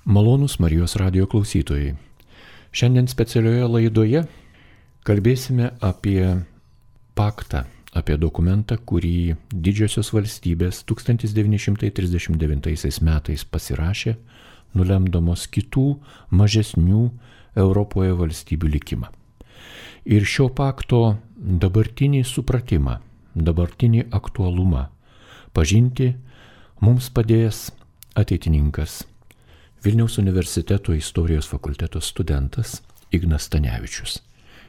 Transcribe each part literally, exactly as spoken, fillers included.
Malonūs Marijos radijo klausytojai. Šiandien specialioje laidoje kalbėsime apie paktą, apie dokumentą, kurį didžiosios valstybės tūkstantis devyni šimtai trisdešimt devintaisiais metais pasirašė, nulemdamos kitų mažesnių Europoje valstybių likimą. Ir šio pakto dabartinį supratimą, dabartinį aktualumą pažinti mums padės ateitininkas, Vilniaus universiteto istorijos fakulteto studentas Ignas Stanevičius.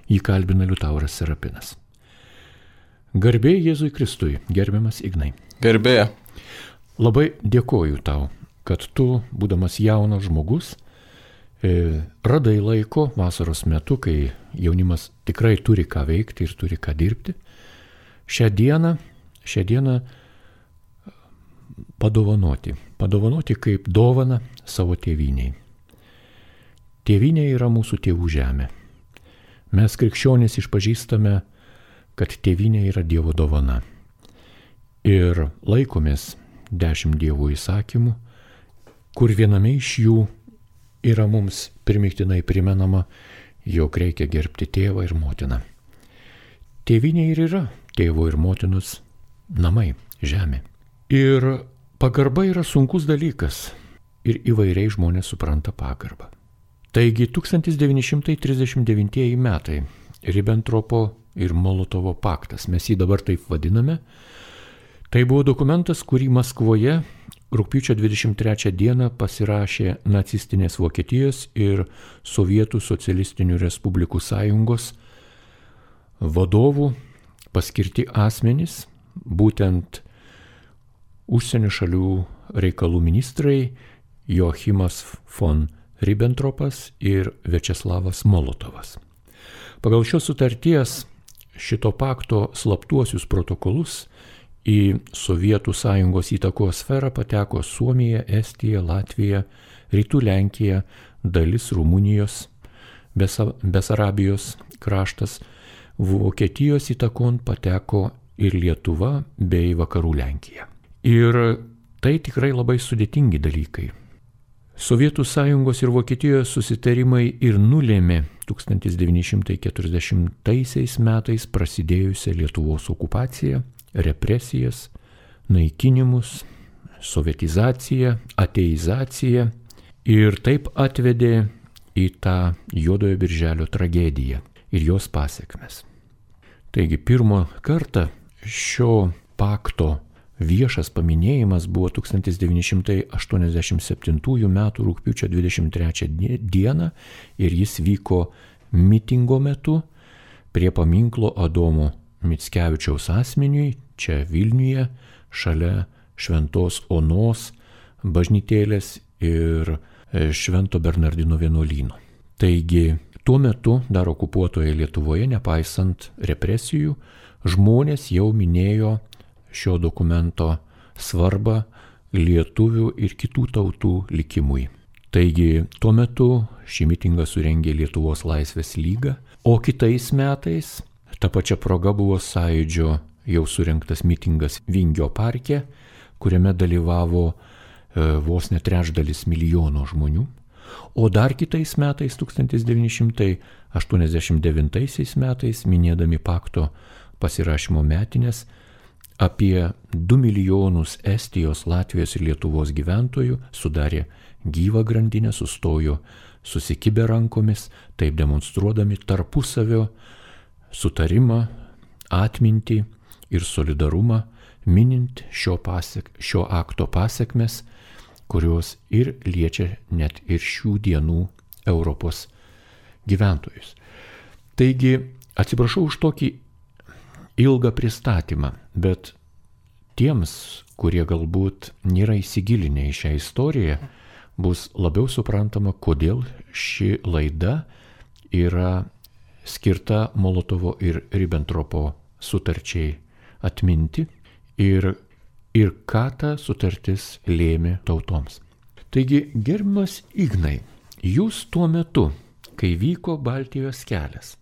Jį kalbina Liutauras Serapinas. Garbė Jėzui Kristui, gerbiamas Ignai. Garbė. Labai dėkoju tau, kad tu, būdamas jaunas žmogus, e, radai laiko vasaros metu, kai jaunimas tikrai turi ką veikti ir turi ką dirbti, šią dieną, šią dieną padovanoti. Padovanoti kaip dovana savo tėvynei. Tėvynė yra mūsų tėvų žemė. Mes krikščionys išpažįstame, kad tėvynė yra Dievo dovana. Ir laikomės dešimt Dievo įsakymų, kur viename iš jų yra mums primygtinai primenama, jog reikia gerbti tėvą ir motiną. Tėvynė ir yra tėvo ir motinos namai, žemė. Ir pagarba yra sunkus dalykas ir įvairiai žmonės supranta pagarbą. Taigi tūkstantis devyni šimtai trisdešimt devintieji metai, Ribentropo ir Molotovo paktas, mes jį dabar taip vadiname, tai buvo dokumentas, kurį Maskvoje rugpjūčio dvidešimt trečią dieną pasirašė nacistinės Vokietijos ir Sovietų socialistinių respublikų sąjungos vadovų paskirti asmenys, būtent užsienio šalių reikalų ministrai Joachimas von Ribbentropas ir Viačeslavas Molotovas. Pagal šios sutarties šito pakto slaptuosius protokolus į Sovietų sąjungos įtakos sferą pateko Suomija, Estija, Latvija, Rytų Lenkija, dalis Rumunijos, Besarabijos kraštas, Vokietijos įtakon pateko ir Lietuva bei Vakarų Lenkija. Ir tai tikrai labai sudėtingi dalykai. Sovietų sąjungos ir Vokietijos susitarimai ir nulėmė tūkstantis devyni šimtai keturiasdešimtaisiais metais prasidėjusią Lietuvos okupaciją, represijas, naikinimus, sovietizaciją, ateizaciją ir taip atvedė į tą Juodojo birželio tragediją ir jos pasekmes. Taigi pirmą kartą šio pakto viešas paminėjimas buvo tūkstantis devyni šimtai aštuoniasdešimt septintųjų metų rugpjūčio dvidešimt trečią dieną ir jis vyko mitingo metu prie paminklo Adomo Mickevičiaus asmeniui, čia Vilniuje, šalia Šventos Onos bažnytėlės ir Švento Bernardino vienuolyno. Taigi tuo metu dar okupuotoje Lietuvoje, nepaisant represijų, žmonės jau minėjo šio dokumento svarbą lietuvių ir kitų tautų likimui. Taigi tuo metu šį mitingą surengė Lietuvos Laisvės lyga, o kitais metais ta pačia proga buvo Sąjūdžio jau surengtas mitingas Vingio parke, kuriame dalyvavo e, vos ne trečdalis milijono žmonių. O dar kitais metais, tūkstantis devyni šimtai aštuoniasdešimt devintaisiais metais, minėdami pakto pasirašymo metinės, apie du milijonus Estijos, Latvijos ir Lietuvos gyventojų sudarė gyvą grandinę, sustojo susikibę rankomis, taip demonstruodami tarpusavio sutarimą, atmintį ir solidarumą, minint šio, pasek, šio akto pasekmes, kurios ir liečia net ir šių dienų Europos gyventojus. Taigi, atsiprašau už tokį ilgą pristatymą, bet tiems, kurie galbūt nėra įsigilinę į šią istoriją, bus labiau suprantama, kodėl ši laida yra skirta Molotovo ir Ribbentropo sutarčiai atminti ir, ir ką ta sutartis lėmė tautoms. Taigi, gerbiamas Ignai, jūs tuo metu, kai vyko Baltijos kelias,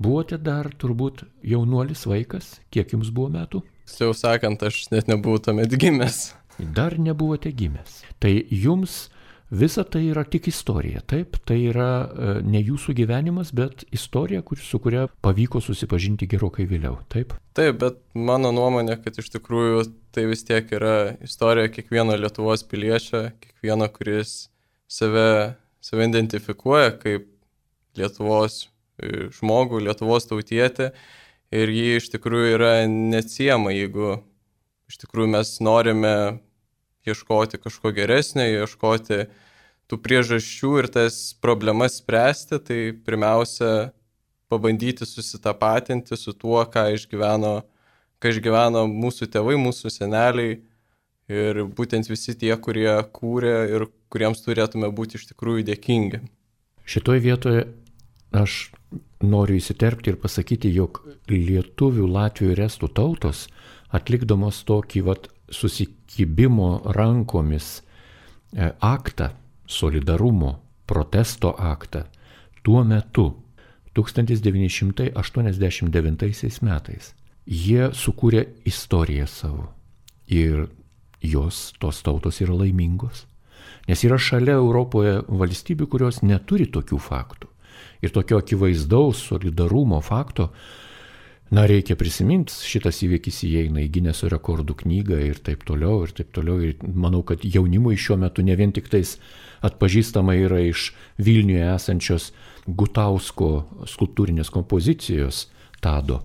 buvote dar turbūt jaunuolis vaikas, kiek jums buvo metų? Jau sakant, aš net nebuvau tuomet gimęs. Dar nebuvote gimęs. Tai jums visa tai yra tik istorija. Taip, tai yra ne jūsų gyvenimas, bet istorija, kur, su kuria pavyko susipažinti gerokai vėliau. Taip? Taip, bet mano nuomonė, kad iš tikrųjų tai vis tiek yra istorija kiekvieno Lietuvos piliečio, kiekvieno, kuris save, save identifikuoja kaip Lietuvos žmogų, Lietuvos tautietį. Ir jį iš tikrųjų yra neatsiejama, jeigu iš tikrųjų mes norime ieškoti kažko geresnio, ieškoti tų priežasčių ir tas problemas spręsti, tai pirmiausia pabandyti susitapatinti su tuo, ką išgyveno, ką išgyveno mūsų tėvai, mūsų seneliai ir būtent visi tie, kurie kūrė ir kuriems turėtume būti iš tikrųjų dėkingi. Šitoje vietoje aš noriu įsiterpti ir pasakyti, jog lietuvių, latvių ir estų tautos, atlikdamos tokį vat, susikibimo rankomis aktą, solidarumo, protesto aktą, tuo metu, tūkstantis devyni šimtai aštuoniasdešimt devintaisiais metais, jie sukūrė istoriją savo. Ir jos, tos tautos yra laimingos. Nes yra šalia Europoje valstybių, kurios neturi tokių faktų. Ir tokio akivaizdaus solidarumo fakto, na, reikia prisiminti, šitas įvykis įeina į Gineso rekordų knygą ir taip toliau, ir taip toliau. Ir manau, kad jaunimui šiuo metu ne vien tik tais atpažįstama yra iš Vilniuje esančios Gutausko skulptūrinės kompozicijos Tado,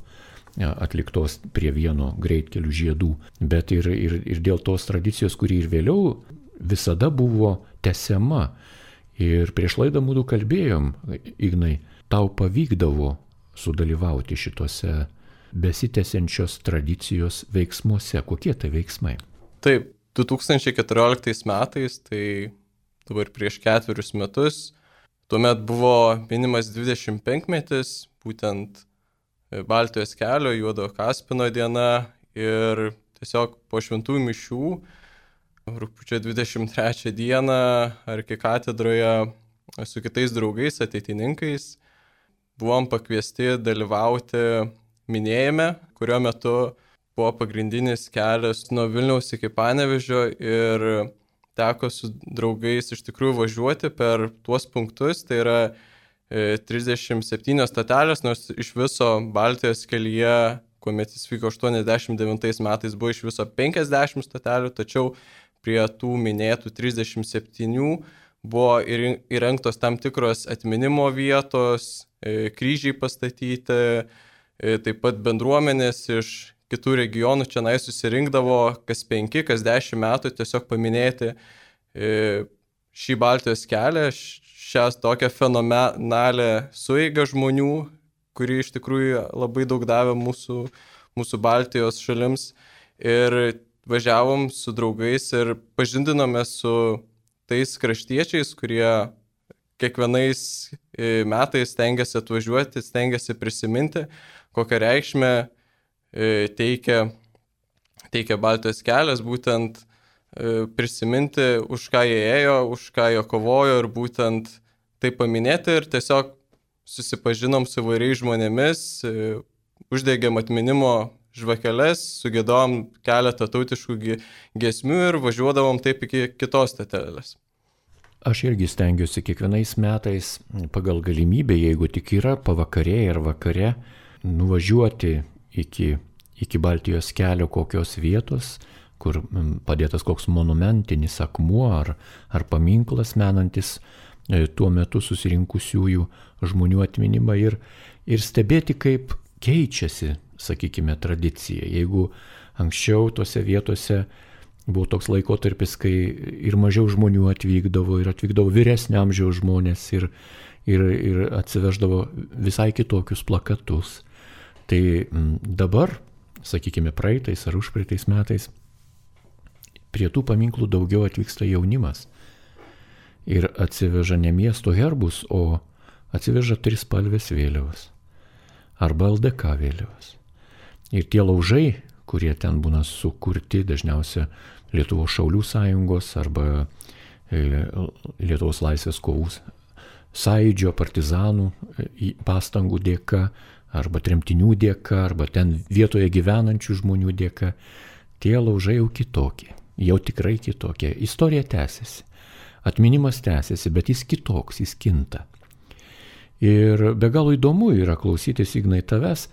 atliktos prie vieno greitkelių žiedų, bet ir, ir, ir dėl tos tradicijos, kuri ir vėliau visada buvo tęsiama. Ir prieš laidą mūdu kalbėjom, Ignai, tau pavykdavo sudalyvauti šitose besitęsiančios tradicijos veiksmuose. Kokie tai veiksmai? Taip, du tūkstančiai keturioliktais metais, tai dabar prieš ketverius metus, tuomet buvo minimas dvidešimt penkmetis, būtent Baltijos kelio, Juodojo Kaspino diena ir tiesiog po šventųjų mišių rugpjūčio dvidešimt trečią dieną arkikatedroje su kitais draugais, ateitininkais, buvom pakviesti dalyvauti minėjime, kurio metu buvo pagrindinis kelias nuo Vilniaus iki Panevėžio ir teko su draugais iš tikrųjų važiuoti per tuos punktus, tai yra trisdešimt septynios stotelės, nors iš viso Baltijos kelyje, kuomet jis vyko aštuoniasdešimt devintais metais, buvo iš viso penkiasdešimt stotelių, tačiau prie tų minėtų trisdešimt septynių buvo įrengtos tam tikros atminimo vietos, kryžiai pastatyti, taip pat bendruomenės iš kitų regionų čia susirinkdavo kas penki, kas dešimt metų tiesiog paminėti šį Baltijos kelią, šią tokią fenomenalią sueigą žmonių, kuri iš tikrųjų labai daug davė mūsų, mūsų Baltijos šalims. Ir važiavom su draugais ir pažindinome su tais kraštiečiais, kurie kiekvienais metais stengiasi atvažiuoti, stengiasi prisiminti, kokią reikšmę teikia, teikia Baltijos kelias, būtent prisiminti, už ką jie ėjo, už ką jie kovojo ir būtent tai paminėti ir tiesiog susipažinom su įvairiais žmonėmis, uždegėm atminimo žvakeles, sugėdom keletą tautiškų giesmių ir važiuodavom taip iki kitos stotelės. Aš irgi stengiuosi kiekvienais metais pagal galimybę, jeigu tik yra pavakarėje ar vakare, nuvažiuoti iki, iki Baltijos kelio kokios vietos, kur padėtas koks monumentinis akmuo ar, ar paminklas menantis tuo metu susirinkusiųjų žmonių atminimą ir, ir stebėti, kaip keičiasi, sakykime, tradicija. Jeigu anksčiau tose vietose buvo toks laikotarpis, kai ir mažiau žmonių atvykdavo, ir atvykdavo vyresnio amžiaus žmonės ir, ir, ir atsiveždavo visai kitokius plakatus. Tai dabar, sakykime, praeitais ar užpraeitais metais, prie tų paminklų daugiau atvyksta jaunimas. Ir atsiveža ne miesto herbus, o atsiveža trispalvės vėliavas arba L D K vėliavas. Ir tie laužai, kurie ten būna sukurti, dažniausia Lietuvos šaulių sąjungos arba Lietuvos laisvės kovų sąjūdžio partizanų pastangų dėka, arba tremtinių dėka, arba ten vietoje gyvenančių žmonių dėka, tie laužai jau kitokie, jau tikrai kitokie. Istorija tęsiasi. atminimas tęsiasi, bet jis kitoks, jis kinta. Ir be galo įdomu yra klausytis, Ignai, tavęs,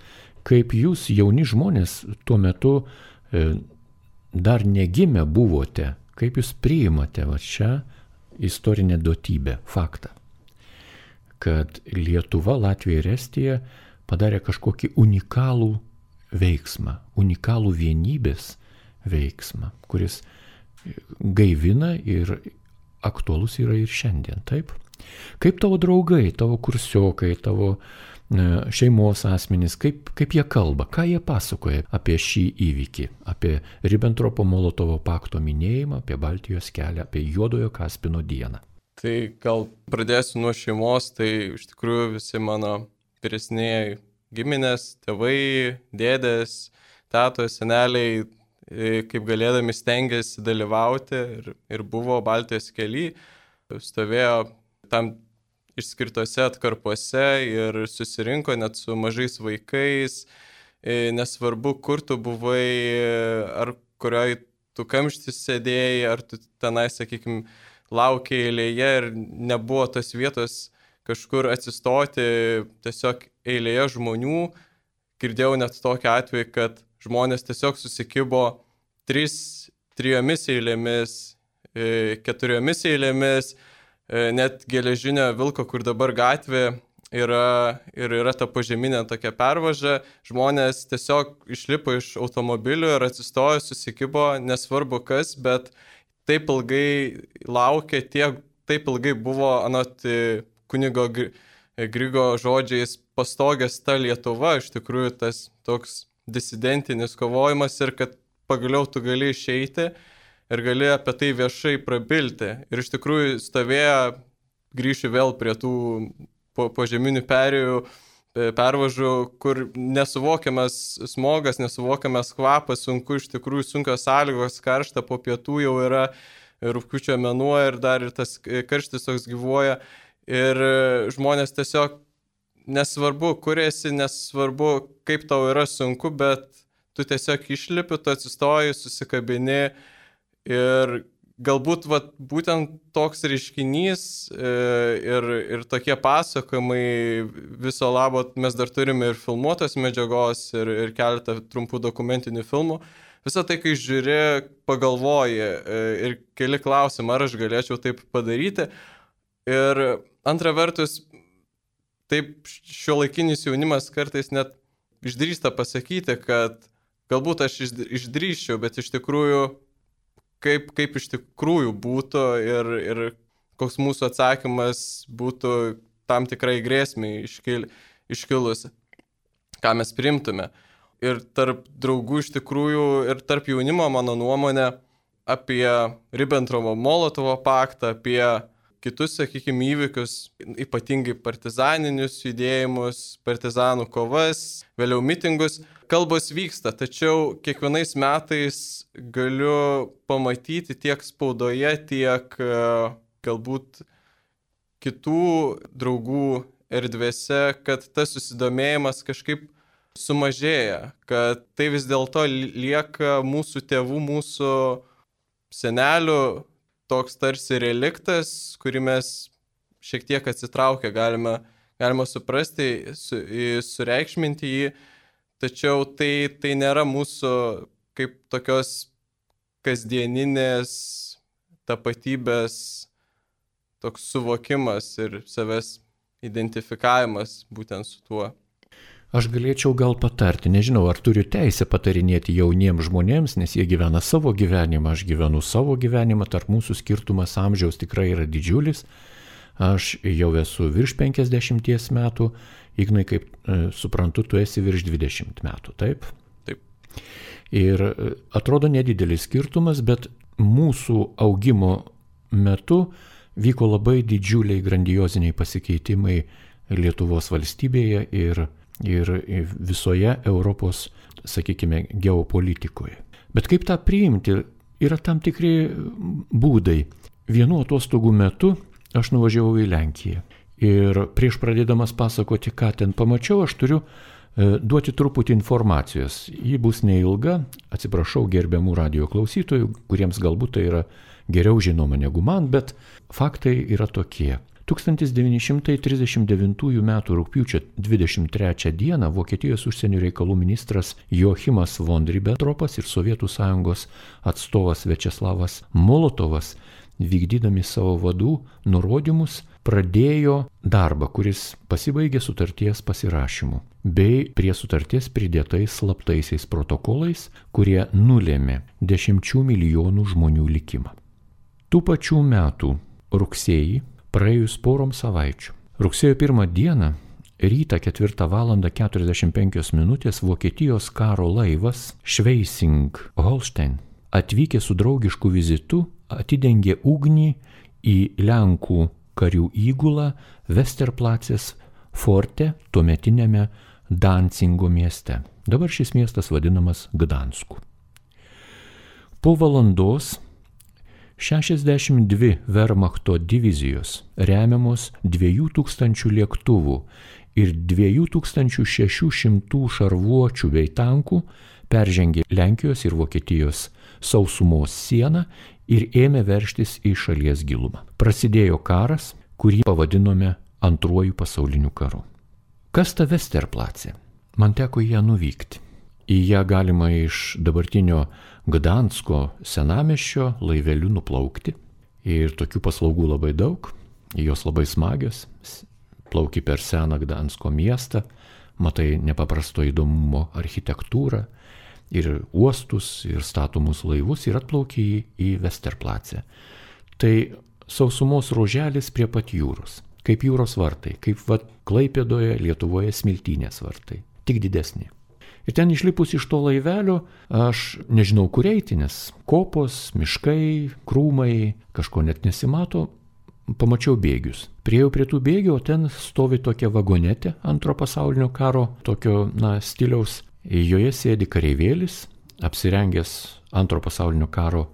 kaip jūs jauni žmonės tuo metu e, dar negimę buvote, kaip jūs priimate va šią istorinę duotybę, faktą, kad Lietuva, Latvija ir Estija padarė kažkokį unikalų veiksmą, unikalų vienybės veiksmą, kuris gaivina ir aktualus yra ir šiandien, taip? Kaip tavo draugai, tavo kursiokai, tavo šeimos asmenys, kaip, kaip jie kalba, ką jie pasakoja apie šį įvykį, apie Ribbentropo-Molotovo pakto minėjimą, apie Baltijos kelią, apie Juodojo Kaspino dieną? Tai gal pradėsiu nuo šeimos, tai iš tikrųjų visi mano vyresnėjai giminės, tėvai, dėdės, tetos, seneliai, kaip galėdami stengiasi dalyvauti ir, ir buvo Baltijos kely, stovėjo tam išskirtose atkarpose ir susirinko net su mažais vaikais, nesvarbu, kur tu buvai, ar kurioj tu kamštis sėdėjai, ar tu tenai, sakykime, laukiai eilėje ir nebuvo tos vietos kažkur atsistoti, tiesiog eilėje žmonių. Girdėjau net tokį atvejį, kad žmonės tiesiog susikibo tris, trijomis eilėmis, keturiomis eilėmis, net geležinio vilko, kur dabar gatvė yra ir yra ta požeminė tokia pervaža, žmonės tiesiog išlipo iš automobilių ir atsistojo, susikibo, nesvarbu kas, bet taip ilgai laukė, tiek, taip ilgai buvo, anot kunigo Grigo žodžiais, pastogęs ta Lietuva, iš tikrųjų tas toks disidentinis kovojimas ir kad pagaliau tu gali išeiti ir gali apie tai viešai prabilti. Ir iš tikrųjų stovėjo, grįšiu vėl prie tų po, požeminių perėjų, pervažų, kur nesuvokiamas smogas, nesuvokiamas kvapas, sunku, iš tikrųjų sunkios sąlygos, karšta, po pietų jau yra rugpjūčio mėnuo ir dar ir tas karštis toks gyvuoja. Ir žmonės tiesiog nesvarbu, kur esi, nesvarbu, kaip tau yra sunku, bet tu tiesiog išlipi, tu atsistoji, susikabini. Ir galbūt vat, būtent toks reiškinys ir, ir tokie pasakojimai viso labo, mes dar turime ir filmuotos medžiagos, ir, ir keletą trumpų dokumentinių filmų. Visą tai, kai žiūri, pagalvoji ir keli klausimai, ar aš galėčiau taip padaryti. Ir antra vertus, taip šiuolaikinis jaunimas kartais net išdrįsta pasakyti, kad galbūt aš išdrįsčiau, bet iš tikrųjų Kaip, kaip iš tikrųjų būtų ir, ir koks mūsų atsakymas būtų tam tikrai grėsmiai iškil, iškilusi, ką mes priimtume. Ir tarp draugų iš tikrųjų ir tarp jaunimo, mano nuomonė, apie Ribbentropo-Molotovo paktą, apie kitus, sakykime, įvykius, ypatingai partizaninius judėjimus, partizanų kovas, vėliau mitingus. Kalbos vyksta, tačiau kiekvienais metais galiu pamatyti tiek spaudoje, tiek galbūt kitų draugų erdvėse, kad tas susidomėjimas kažkaip sumažėja, kad tai vis dėlto lieka mūsų tėvų, mūsų senelių toks tarsi reliktas, kurį mes šiek tiek atsitraukę galime, galime suprasti, su, sureikšminti jį. Tačiau tai, tai nėra mūsų kaip tokios kasdieninės tapatybės toks suvokimas ir savęs identifikavimas būtent su tuo. Aš galėčiau gal patarti, nežinau, ar turiu teisę patarinėti jauniems žmonėms, nes jie gyvena savo gyvenimą, aš gyvenu savo gyvenimą, tarp mūsų skirtumas amžiaus tikrai yra didžiulis. Aš jau esu virš penkiasdešimties metų, Ignai, kaip e, suprantu, tu esi virš dvidešimt metų, taip? Taip. Ir e, atrodo nedidelis skirtumas, bet mūsų augimo metu vyko labai didžiuliai grandioziniai pasikeitimai Lietuvos valstybėje ir, ir visoje Europos, sakykime, geopolitikoje. Bet kaip tą priimti, yra tam tikri būdai. Vienu atostogų metu aš nuvažiavau į Lenkiją. Ir prieš pradėdamas pasakoti, ką ten pamačiau, aš turiu e, duoti truputį informacijos. Ji bus neilga, atsiprašau gerbiamų radijo klausytojų, kuriems galbūt tai yra geriau žinoma negu man, bet faktai yra tokie. tūkstantis devyni šimtai trisdešimt devintųjų metų rugpjūčio dvidešimt trečią dieną Vokietijos užsienio reikalų ministras Joachimas von Ribbentropas ir Sovietų sąjungos atstovas Viačeslavas Molotovas, vykdydami savo vadų nurodymus, pradėjo darbą, kuris pasibaigė sutarties pasirašymu, bei prie sutarties pridėtais slaptaisiais protokolais, kurie nulėmė dešimčių milijonų žmonių likimą. Tų pačių metų rugsėjį, praėjus porom savaičių, rugsėjo pirmą dieną, rytą ketvirtą valandą keturiasdešimt penkios minutės Vokietijos karo laivas Schleswig-Holstein atvykę su draugišku vizitu atidengė ugnį į Lenkų karių įgulą Westerplatzės forte tuometinėme Dancingo mieste. Dabar šis miestas vadinamas Gdansku. Po valandos šešiasdešimt dvi Wehrmachto divizijos, remiamos dviejų tūkstančių lėktuvų ir dviejų tūkstančių šešių šimtų šarvuočių bei tankų, peržengė Lenkijos ir Vokietijos sausumos sieną ir ėmė veržtis į šalies gilumą. Prasidėjo karas, kurį pavadinome Antruoju pasauliniu karu. Kas ta Westerplatzė? Man teko į ją nuvykti. Į ją galima iš dabartinio Gdansko senamiesčio laiveliu nuplaukti. Ir tokių paslaugų labai daug, jos labai smagios. Plauki per seną Gdansko miestą, matai nepaprasto įdomumo architektūrą ir uostus, ir statomus laivus ir atplauki į, į Westerplatzę. Tai sausumos ruoželis prie pat jūros, kaip jūros vartai, kaip vat Klaipėdoje, Lietuvoje Smiltynės vartai, tik didesni. Ir ten išlipus iš to laivelio, aš nežinau kur eiti, nes kopos, miškai, krūmai, kažko net nesimato, pamačiau bėgius. Priejau prie tų bėgių, o ten stovi tokia vagonetė antro pasaulinio karo, tokio, na, stiliaus. Joje sėdi kareivėlis, apsirengęs antro pasaulinio karo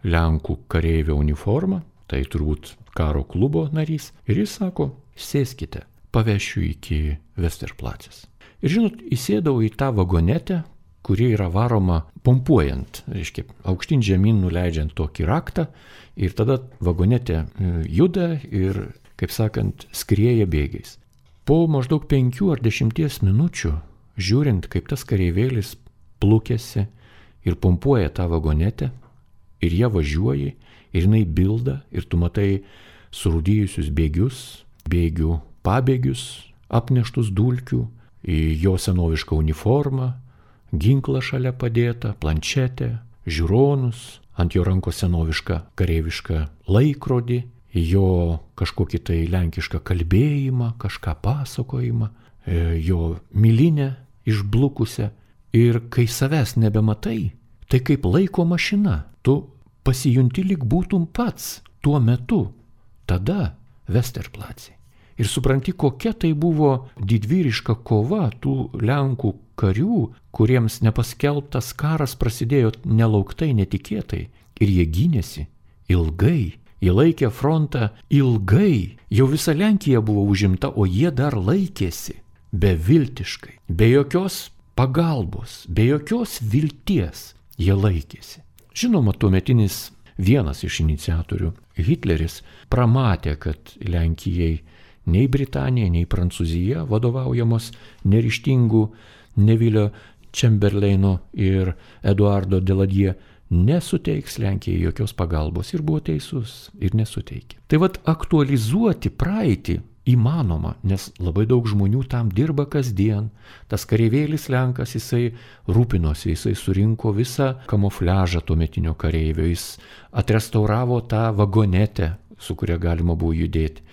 Lenkų kareivio uniformą, tai turbūt karo klubo narys, ir jis sako, sėskite, pavešiu iki Westerplatzės. Ir žinot, įsėdau į tą vagonetę, kuri yra varoma pompuojant, reiškia, aukštyn žemyn nuleidžiant tokį raktą, ir tada vagonetė juda ir, kaip sakant, skrieja bėgiais. Po maždaug penkių ar dešimties minučių, žiūrint, kaip tas kareivėlis plukėsi ir pompuoja tą vagonetę, ir jie važiuoja, ir jinai bilda, ir tu matai surūdijusius bėgius, bėgių pabėgius, apneštus dulkių, jo senovišką uniformą, ginklą šalia padėtą, planšetę, žiūronus, ant jo rankos senovišką kareivišką laikrodį, jo kažkokį tai lenkišką kalbėjimą, kažką pasakojimą, jo milinę išblukusią. Ir kai savęs nebematai, tai kaip laiko mašina, tu pasijunti lyg būtum pats tuo metu, tada Westerplatzė. Ir supranti, kokia tai buvo didvyriška kova tų Lenkų karių, kuriems nepaskelbtas karas prasidėjo nelauktai, netikėtai. Ir jie gynėsi ilgai, jie laikė frontą ilgai, jau visa Lenkija buvo užimta, o jie dar laikėsi beviltiškai, be jokios pagalbos, be jokios vilties jie laikėsi. Žinoma, tuometinis vienas iš iniciatorių, Hitleris, pramatė, kad Lenkijai nei Britanija, nei Prancūzija, vadovaujamos neryžtingų Nevilio Čemberleino ir Eduardo Deladie, nesuteiks Lenkijai jokios pagalbos, ir buvo teisus, ir nesuteikė. Tai vat aktualizuoti praeitį įmanoma, nes labai daug žmonių tam dirba kasdien. Tas kareivėlis Lenkas, jisai rūpinosi, jisai surinko visą kamufliažą tuometinio kareivio, jis atrestauravo tą vagonetę, su kuria galima buvo judėti.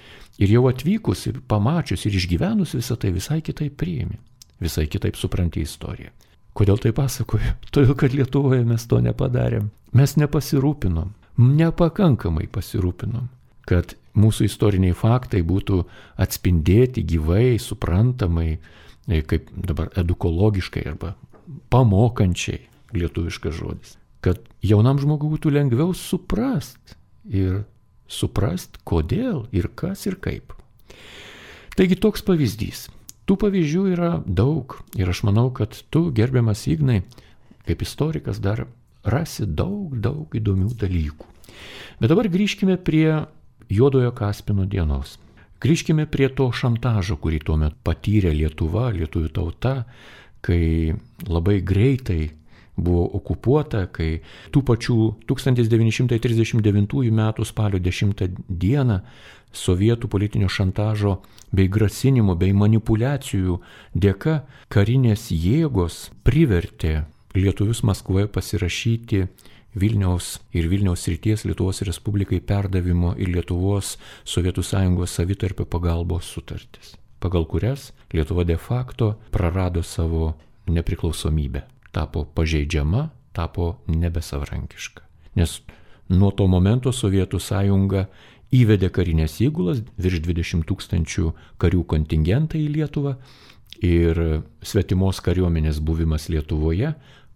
Ir jau atvykus, pamačius ir išgyvenus visą tai visai kitaip priimi, visai kitaip supranti istoriją. Kodėl tai pasakoju? Todėl, kad Lietuvoje mes to nepadarėm. Mes nepasirūpinom, nepakankamai pasirūpinom, kad mūsų istoriniai faktai būtų atspindėti gyvai, suprantamai, kaip dabar edukologiškai arba pamokančiai, lietuviškas žodis. Kad jaunam žmogui būtų lengviau suprast ir suprast, kodėl ir kas ir kaip. Taigi toks pavyzdys. Tų pavyzdžių yra daug ir aš manau, kad tu, gerbiamas Ignai, kaip istorikas dar rasi daug, daug įdomių dalykų. Bet dabar grįžkime prie Juodojo Kaspino dienos. Grįžkime prie to šantažo, kurį tuo metu patyrė Lietuva, lietuvių tauta, kai labai greitai buvo okupuota, kai tų pačių tūkstantis devyni šimtai trisdešimt devintųjų metų spalio dešimtą dieną sovietų politinio šantažo bei grasinimo bei manipulacijų dėka karinės jėgos privertė lietuvius Maskvoje pasirašyti Vilniaus ir Vilniaus srities Lietuvos Respublikai perdavimo ir Lietuvos Sovietų Sąjungos savitarpio pagalbos sutartis, pagal kurias Lietuva de facto prarado savo nepriklausomybę, tapo pažeidžiama, tapo nebesavarankiška. Nes nuo to momento Sovietų Sąjunga įvedė karinės įgulas, virš dvidešimt tūkstančių karių kontingentą į Lietuvą ir svetimos kariuomenės buvimas Lietuvoje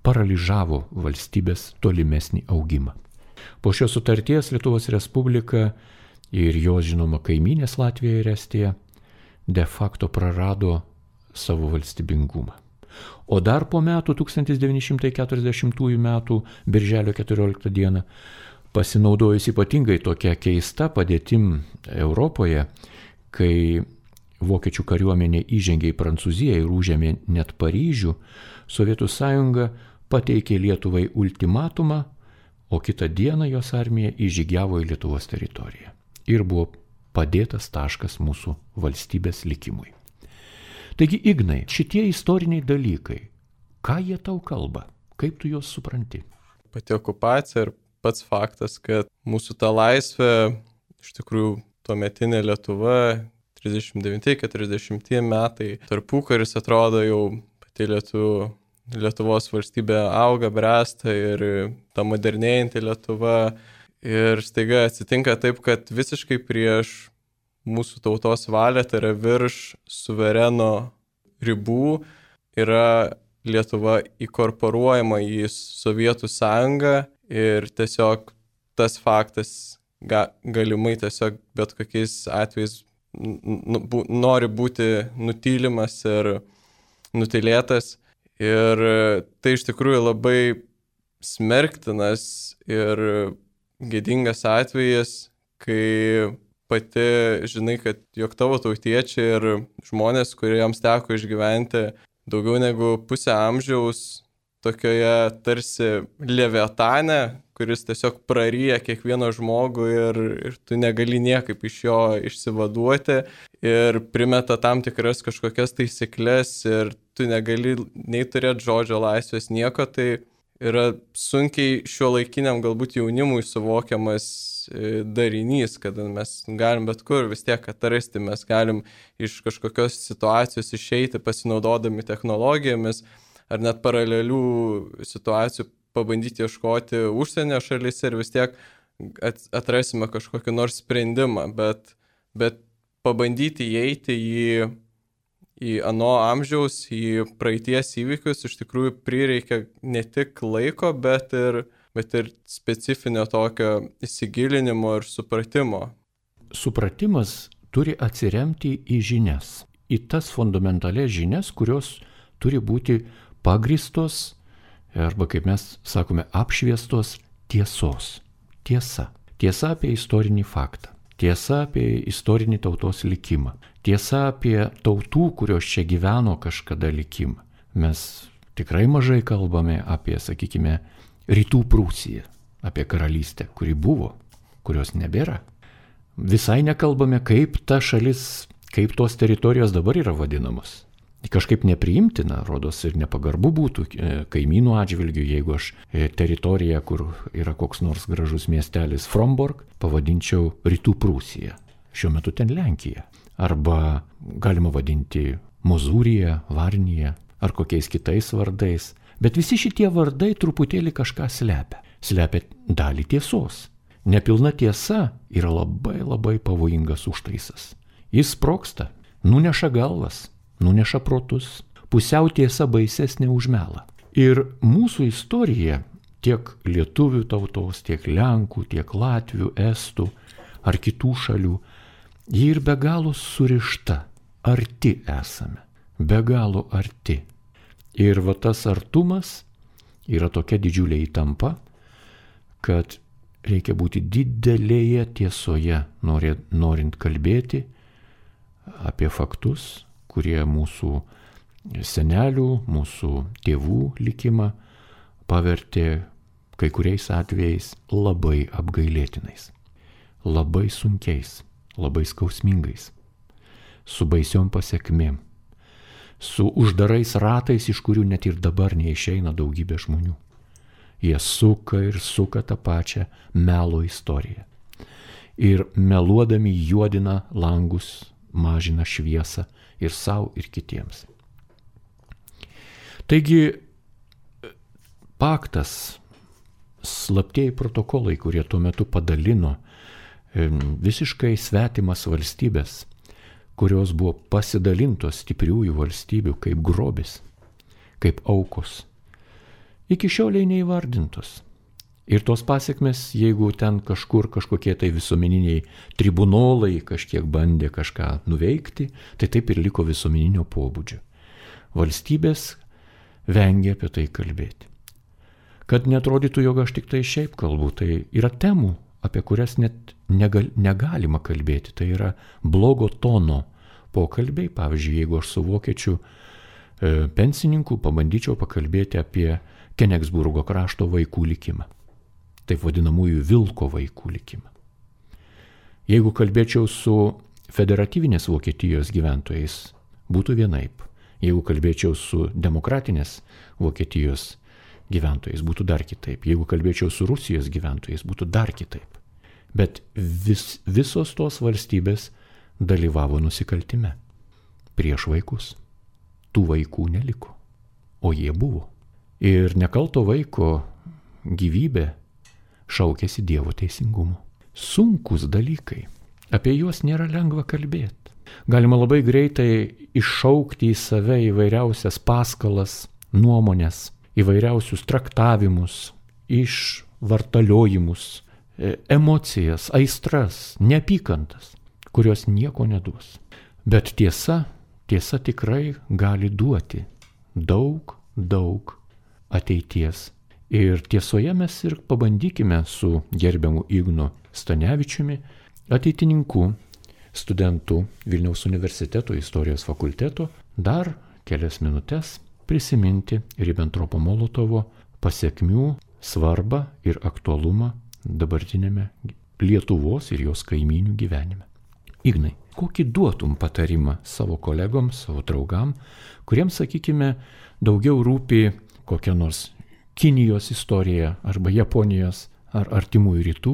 paralyžavo valstybės tolimesnį augimą. Po šios sutarties Lietuvos Respublika ir jos žinoma kaimynės Latvija ir Estija de facto prarado savo valstybingumą. O dar po metų, tūkstantis devyni šimtai keturiasdešimtųjų metų birželio keturioliktą dieną, pasinaudojus ypatingai tokia keista padėtim Europoje, kai vokiečių kariuomenė įžengė į Prancūziją ir užėmė net Paryžių, Sovietų Sąjunga pateikė Lietuvai ultimatumą, o kitą dieną jos armija įžygiavo į Lietuvos teritoriją. Ir buvo padėtas taškas mūsų valstybės likimui. Taigi, Ignai, šitie istoriniai dalykai, ką jie tau kalba? Kaip tu juos supranti? Pati okupacija ir pats faktas, kad mūsų ta laisvė, iš tikrųjų, tuometinė Lietuva, trisdešimt devinti keturiasdešimti metai, tarpukaris atrodo jau pati Lietuva, Lietuvos valstybė auga, bręsta ir ta modernėjanti Lietuva. Ir staiga atsitinka taip, kad visiškai prieš mūsų tautos valią, tai yra virš suvereno ribų, yra Lietuva įkorporuojama į Sovietų Sąjungą ir tiesiog tas faktas ga, galimai tiesiog bet kokiais atvejais n- n- nori būti nutylimas ir nutilėtas. Ir tai iš tikrųjų labai smerktinas ir gėdingas atvejis, kai pati žinai, kad jog tavo tautiečiai ir žmonės, kuriems teko išgyventi daugiau negu pusę amžiaus tokioje tarsi leviatane, kuris tiesiog praryja kiekvieną žmogų ir, ir tu negali niekaip iš jo išsivaduoti ir primeta tam tikras kažkokias taisyklės ir tu negali nei turėti žodžio laisvės nieko, tai yra sunkiai šiuolaikiniam galbūt jaunimui suvokiamas darinys, kad mes galim bet kur vis tiek atrasti, mes galim iš kažkokios situacijos išeiti pasinaudodami technologijomis ar net paralelių situacijų pabandyti ieškoti užsienio šalyse ir vis tiek atrasime kažkokį nors sprendimą, bet, bet pabandyti įeiti į, į ano amžiaus, į praeities įvykius iš tikrųjų prireikia ne tik laiko, bet ir, bet ir specifinio tokio įsigilinimo ir supratimo. Supratimas turi atsiremti į žinias, į tas fundamentalias žinias, kurios turi būti pagristos arba, kaip mes sakome, apšviestos tiesos. Tiesa. Tiesa apie istorinį faktą. Tiesa apie istorinį tautos likimą. Tiesa apie tautų, kurios čia gyveno kažkada likimą. Mes tikrai mažai kalbame apie, sakykime, Rytų Prūsiją, apie karalystę, kuri buvo, kurios nebėra. Visai nekalbame, kaip ta šalis, kaip tos teritorijos dabar yra vadinamos. Kažkaip nepriimtina, rodos ir nepagarbu būtų kaimynų atžvilgių, jeigu aš teritoriją, kur yra koks nors gražus miestelis Fromborg, pavadinčiau Rytų Prūsija. Šiuo metu ten Lenkija. Arba galima vadinti Mozūrija, Varnija ar kokiais kitais vardais. Bet visi šitie vardai truputėlį kažką slepia. Slepia dalį tiesos. Nepilna tiesa yra labai labai pavojingas užtaisas. Jis sprogsta, nuneša galvas, nuneša protus, pusiau tiesa baisesnė už melą. Ir mūsų istorija, tiek lietuvių tautos, tiek lenkų, tiek latvių, estų ar kitų šalių, ji ir be galo surišta, arti esame, be galo arti. Ir va tas artumas yra tokia didžiulė įtampa, kad reikia būti didelėje tiesoje, norint kalbėti apie faktus, kurie mūsų senelių, mūsų tėvų likimą pavertė kai kuriais atvejais labai apgailėtinais, labai sunkiais, labai skausmingais, su baisiom pasiekmėm, su uždarais ratais, iš kurių net ir dabar neišeina daugybė žmonių. Jie suka ir suka tą pačią melo istoriją. Ir meluodami juodina langus, mažina šviesą ir savo, ir kitiems. Taigi, paktas, slaptieji protokolai, kurie tuo metu padalino visiškai svetimas valstybės, kurios buvo pasidalintos stipriųjų valstybių kaip grobis, kaip aukos, iki šioliai neįvardintos. Ir tos pasiekmes, jeigu ten kažkur kažkokie tai visuomeniniai tribunolai kažkiek bandė kažką nuveikti, tai taip ir liko visuomeninio pobūdžio. Valstybės vengia apie tai kalbėti. Kad netrodytų, jog aš tik tai šiaip kalbu, tai yra temų, apie kurias net negal, negalima kalbėti. Tai yra blogo tono pokalbiai. Pavyzdžiui, jeigu aš su vokiečiu e, pensininku pabandyčiau pakalbėti apie Kenigsburgo krašto vaikų likimą. Taip vadinamųjų vilko vaikų likimą. Jeigu kalbėčiau su federatyvinės Vokietijos gyventojais, būtų vienaip. Jeigu kalbėčiau su demokratinės Vokietijos gyventojais, būtų dar kitaip. Jeigu kalbėčiau su Rusijos gyventojais, būtų dar kitaip. Bet vis, visos tos valstybės dalyvavo nusikaltime prieš vaikus. Tų vaikų neliko, o jie buvo. Ir nekalto vaiko gyvybė šaukėsi Dievo teisingumo. Sunkus dalykai, apie juos nėra lengva kalbėti. Galima labai greitai iššaukti į save įvairiausias paskalas, nuomonės, įvairiausius traktavimus, išvartaliojimus, emocijas, aistras, neapykantas, kurios nieko neduos. Bet tiesa, tiesa tikrai gali duoti daug, daug ateities. Ir tiesoje mes ir pabandykime su gerbiamu Ignu Stanevičiumi, ateitininku, studentu Vilniaus universiteto istorijos fakulteto, dar kelias minutės prisiminti Ribbentropo-Molotovo pasiekmių svarbą ir aktualumą dabartinėme Lietuvos ir jos kaimynių gyvenime. Ignai, kokį duotum patarimą savo kolegoms, savo draugam, kuriems, sakykime, daugiau rūpi kokia nors Kinijos istorija arba Japonijos ar artimųjų rytų,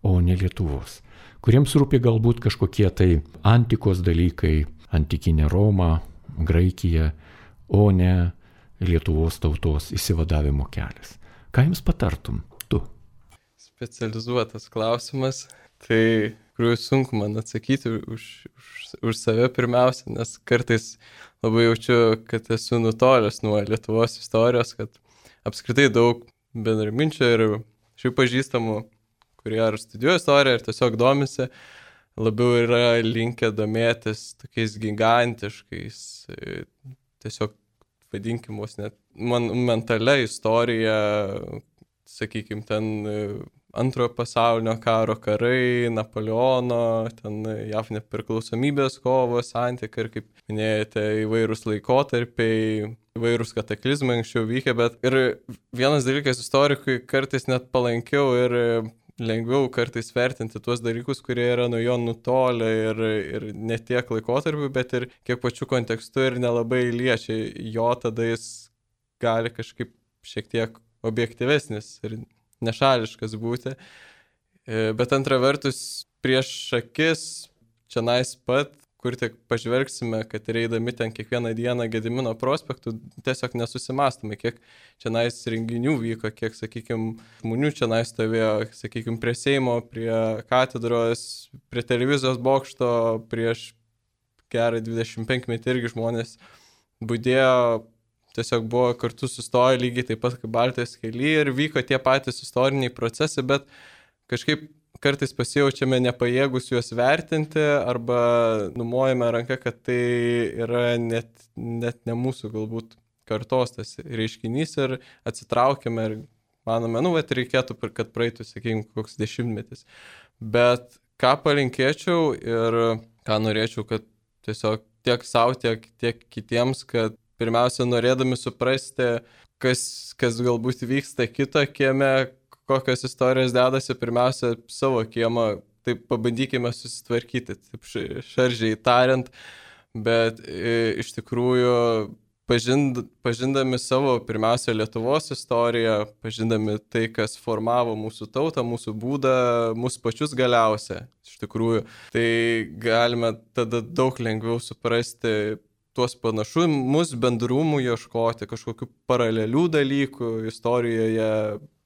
o ne Lietuvos. Kuriems rūpi galbūt kažkokie tai antikos dalykai, antikinė Roma, Graikija, o ne Lietuvos tautos išsivadavimo kelias. Ką jums patartum tu? Specializuotas klausimas. Tai, kuriuo sunku man atsakyti už, už, už save pirmiausia, nes kartais labai jaučiu, kad esu nutolęs nuo Lietuvos istorijos, kad apskritai daug bendraminčių ir šių pažįstamų, kurie ar studijuoja istoriją, ir tiesiog domisi, labiau yra linkę domėtis tokiais gigantiškais, tiesiog vadinkim vos net monumentalia istorija, sakykime, ten Antrojo pasaulinio karo karai, Napoleono, ten J A V nepriklausomybės kovos, santykiai ir, kaip minėjote, įvairūs laikotarpiai, įvairūs kataklizmai anksčiau vykę, bet ir vienas dalykas istorikui kartais net palankiau ir lengviau kartais vertinti tuos dalykus, kurie yra nuo jo nutolę ir, ir ne tiek laikotarpių, bet ir kiek pačių kontekstų ir nelabai liečia jo, tada jis gali kažkaip šiek tiek objektyvesnis ir nešališkas būti. Bet antra vertus, prieš akis, čionais pat, kur tik pažvelgsime, kad reidami ten kiekvieną dieną Gedimino prospektų, tiesiog nesusimastome, kiek čionais renginių vyko, kiek, sakykime, žmonių čionais stovėjo, sakykime, prie Seimo, prie katedros, prie televizijos bokšto, prieš gerą dvidešimt penkmetį irgi žmonės budėjo, tiesiog buvo kartu sustoję lygiai taip pat kaip Baltijos kely ir vyko tie patys istoriniai procesai, bet kažkaip kartais pasijaučiame nepajėgus juos vertinti arba numojame ranką, kad tai yra net, net ne mūsų galbūt kartos tas reiškinys ir atsitraukiame ir manome, nu, bet reikėtų, kad praeitų, sakykime, koks dešimtmetis. Bet ką palinkėčiau ir ką norėčiau, kad tiesiog tiek savo, tiek, tiek kitiems, kad pirmiausia, norėdami suprasti, kas, kas galbūt vyksta kito kieme, kokios istorijos dedasi, pirmiausia, savo kiemą, taip pabandykime susitvarkyti, taip šaržiai tariant, bet e, iš tikrųjų pažind, pažindami savo pirmiausia Lietuvos istoriją, pažindami tai, kas formavo mūsų tautą, mūsų būdą, mūsų pačius galiausia, iš tikrųjų, tai galime tada daug lengviau suprasti tuos panašumus, bendrumų ieškoti, kažkokių paralelių dalykų istorijoje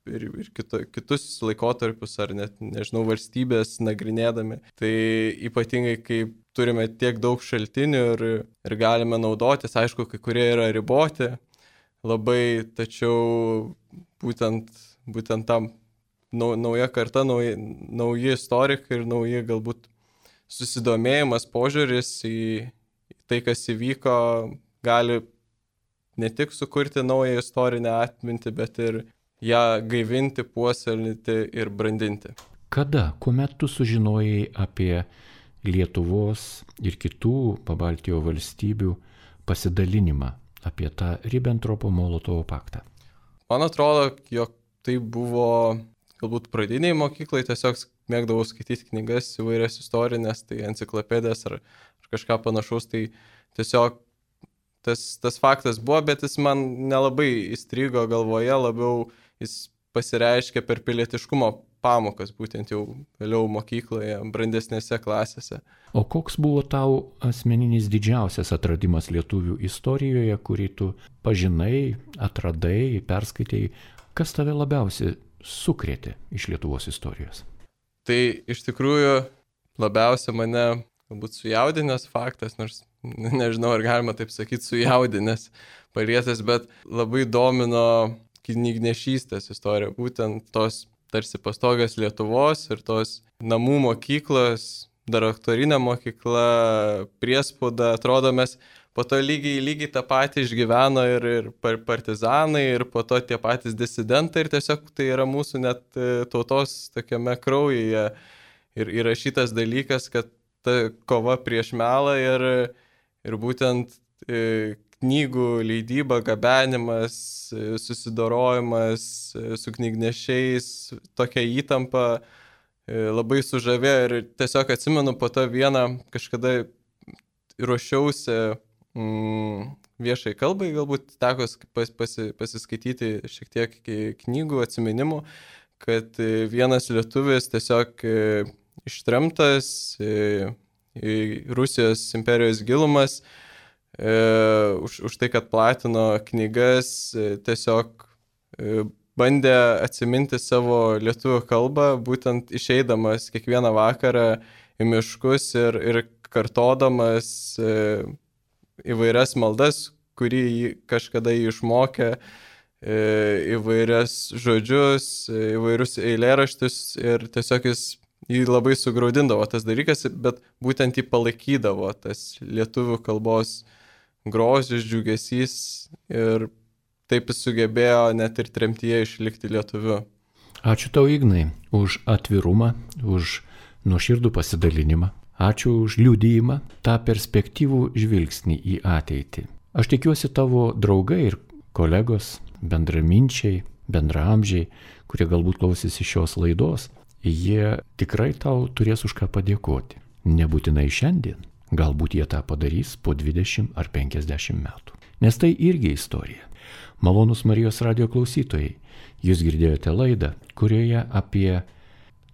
ir, ir kito, kitus laikotarpius ar net, nežinau, valstybės nagrinėdami. Tai ypatingai, kai turime tiek daug šaltinių ir, ir galime naudotis, aišku, kai kurie yra riboti labai, tačiau būtent, būtent tam nau, nauja karta, nauji, nauji istorikai ir nauji galbūt susidomėjimas, požiūris į tai, kas įvyko, gali ne tik sukurti naują istorinę atmintį, bet ir ją gaivinti, puoselėti ir brandinti. Kada, kuomet tu sužinojai apie Lietuvos ir kitų Pabaltijo valstybių pasidalinimą, apie tą Ribbentropo-Molotovo paktą? Man atrodo, jog tai buvo galbūt pradiniai mokyklai, tiesiog mėgdavau skaityti knygas įvairias istorinės, tai enciklopedijas ar kažką panašaus, tai tiesiog tas, tas faktas buvo, bet jis man nelabai įstrigo galvoje, labiau jis pasireiškia per pilietiškumo pamokas, būtent jau vėliau mokykloje, brandesnėse klasėse. O koks buvo tau asmeninis didžiausias atradimas lietuvių istorijoje, kurį tu pažinai, atradai, perskaitėjai, kas tave labiausiai sukrėtė iš Lietuvos istorijos? Tai iš tikrųjų labiausiai mane galbūt sujaudinęs faktas, nors nežinau, ar galima taip sakyti, sujaudinęs, palietęs, bet labai domino knygnešystės istorija, būtent tos tarsi pastogas Lietuvos ir tos namų mokyklos, dar aktorinė mokykla, priespauda, atrodo mes po to lygiai, lygiai tą patį išgyveno ir, ir partizanai, ir po to tie patys disidentai, ir tiesiog tai yra mūsų net tautos tokiame kraujyje ir įrašytas dalykas, kad ta kova prieš melą ir, ir būtent e, knygų leidyba, gabenimas, e, susidorojimas e, su knygnešiais, tokia įtampa e, labai sužavėjo ir tiesiog atsimenu po to vieną kažkada ruošiausi mm, viešai kalbai, galbūt teko pas, pasi, pasiskaityti šiek tiek knygų atsiminimų, kad e, vienas lietuvis tiesiog e, ištremtas į, į Rusijos imperijos gilumas e, už, už tai, kad platino knygas, e, tiesiog e, bandė atsiminti savo lietuvių kalbą, būtent išeidamas kiekvieną vakarą į miškus ir, ir kartodamas e, įvairias maldas, kurį kažkada jį išmokė, e, įvairias žodžius, e, įvairius eilėraštus ir tiesiog jis jį labai sugraudindavo tas dalykas, bet būtent jį palaikydavo tas lietuvių kalbos grožis, džiugesys ir taip jis sugebėjo net ir tremtyje išlikti lietuviu. Ačiū tau, Ignai, už atvirumą, už nuoširdų pasidalinimą. Ačiū už liudijimą, tą perspektyvų žvilgsnį į ateitį. Aš tikiuosi tavo draugai ir kolegos, bendraminčiai, bendraamžiai, kurie galbūt klausysi šios laidos, jie tikrai tau turės už ką padėkoti. Nebūtinai šiandien, galbūt jie tą padarys po dvidešimt ar penkiasdešimt metų. Nes tai irgi istorija. Malonūs Marijos radijo klausytojai, jūs girdėjote laidą, kurioje apie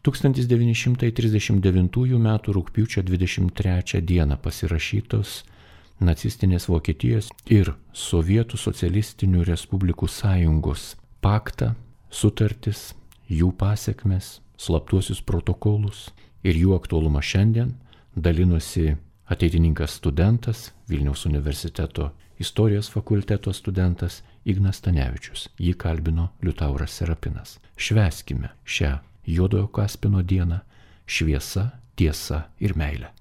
tūkstantis devyni šimtai trisdešimt devintųjų metų rugpjūčio dvidešimt trečią dieną pasirašytos nacistinės Vokietijos ir Sovietų socialistinių respublikų sąjungos paktą, sutartis, jų pasekmes, slaptuosius protokolus ir jų aktualumą šiandien dalinosi ateitininkas studentas, Vilniaus universiteto istorijos fakulteto studentas Ignas Stanevičius. Jį kalbino Liutauras Serapinas. Švęskime šią Juodojo Kaspino dieną šviesa, tiesa ir meilė.